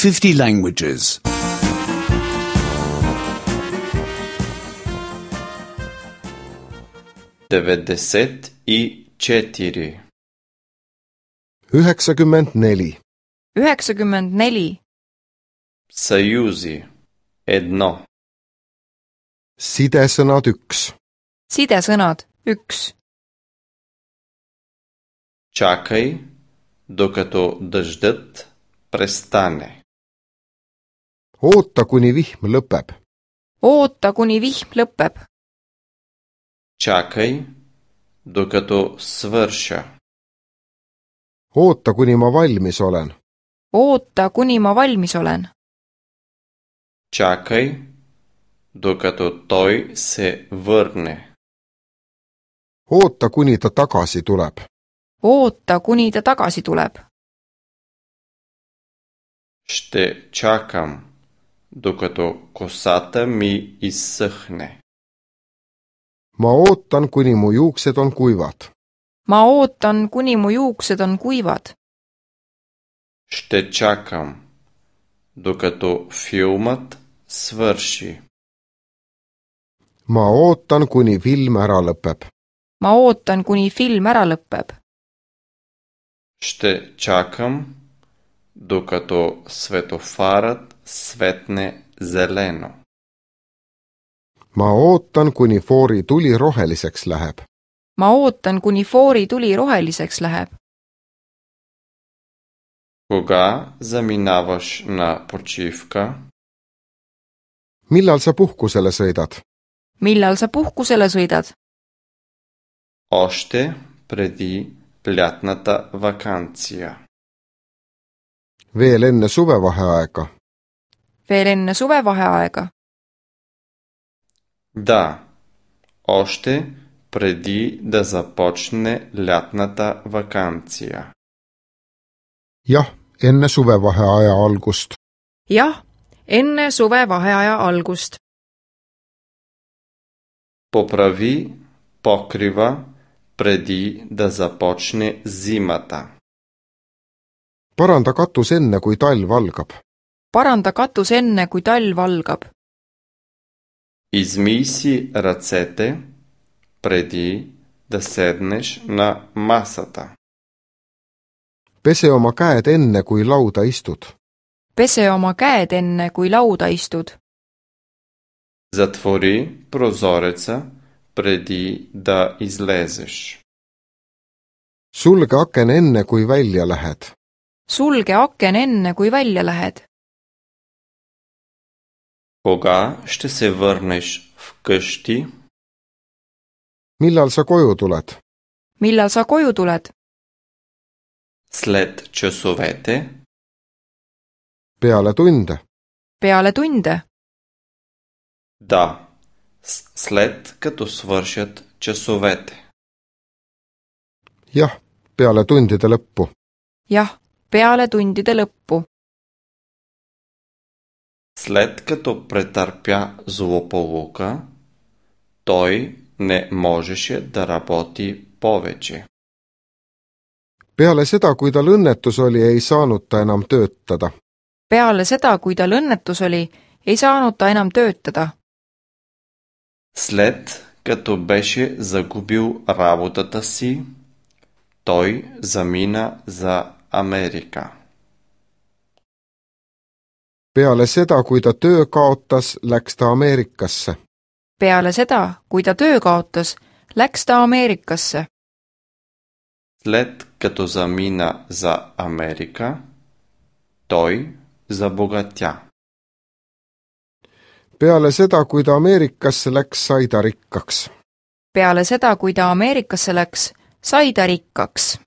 50 languages. 94. 94. 94. Съюзи. 1. Sidesõnad 1. Sidesõnad 1. Чакай, докато дъждът престане. Oota, kuni vihm lõpeb. Oota, kuni vihm lõpeb. Чакай, докато свърша. Oota, kuni ma valmis olen. Oota, kuni ma valmis olen. Чакай, докато той се върне. Oota, kuni ta tagasi tuleb. Oota, kuni ta tagasi tuleb. Ще чакам, докато косата ми изсъхне. Ma ootan, kuni mu juuksed on kuivad. Ma ootan, kuni mu juuksed on kuivad. Ще чакам, докато филмът свърши. Ma ootan, kuni film ära lõpeb. Ma ootan, kuni film ära lõpeb. Ще чакам, докато светофарът светне зелено. Ma ootan, kuni foori tuli roheliseks läheb. Ma ootan, kuni foori tuli roheliseks läheb. Кога заминаваш на почивка? Millal sa puhkusele sõidad? Millal sa puhkusele sõidad? Още преди лятната вакансия. Veel enne suvevaheaega. Veel enne suvevaheaega. Да, още преди да започне лятната вакансия. Jah, enne suvevaheaja algust. Jah, enne suvevaheaja algust. Поправи покрива преди да започне зимата. Paranda katus enne, kui talv algab. Paranda katus enne, kui talv algab. Измий си ръцете преди да седнеш на масата. Pese oma käed enne, kui lauda istud. Pese oma käed enne, kui lauda istud. Затвори прозореца преди да излезеш. Sulge aken enne, kui välja lähed. Sulge aken enne, kui välja lähed. Кога ще се върнеш вкъщи? Millal sa koju tuled? Millal sa koju tuled? След часовете? Peale tunde. Peale tunde? Да, след като свършат часовете. Jah, peale tundide lõppu. Jah, peale tundide lõppu. След като претърпя злополука, той не можеше да работи повече. Peale seda, kui tal õnnetus oli, ei saanud ta enam töötada. Peale seda, kui tal õnnetus oli, ei saanud ta enam töötada. След като беше загубил работата си, той замина за Америка. Peale seda, kui ta töö kaotas, läks ta Ameerikasse. Peale seda, kui ta töö kaotas, läks ta Ameerikasse. След като замина за Америка, той забогатя. Peale seda, kui ta Ameerikasse läks, sai ta rikkaks. Peale seda, kui ta Ameerikasse läks, sai ta rikkaks.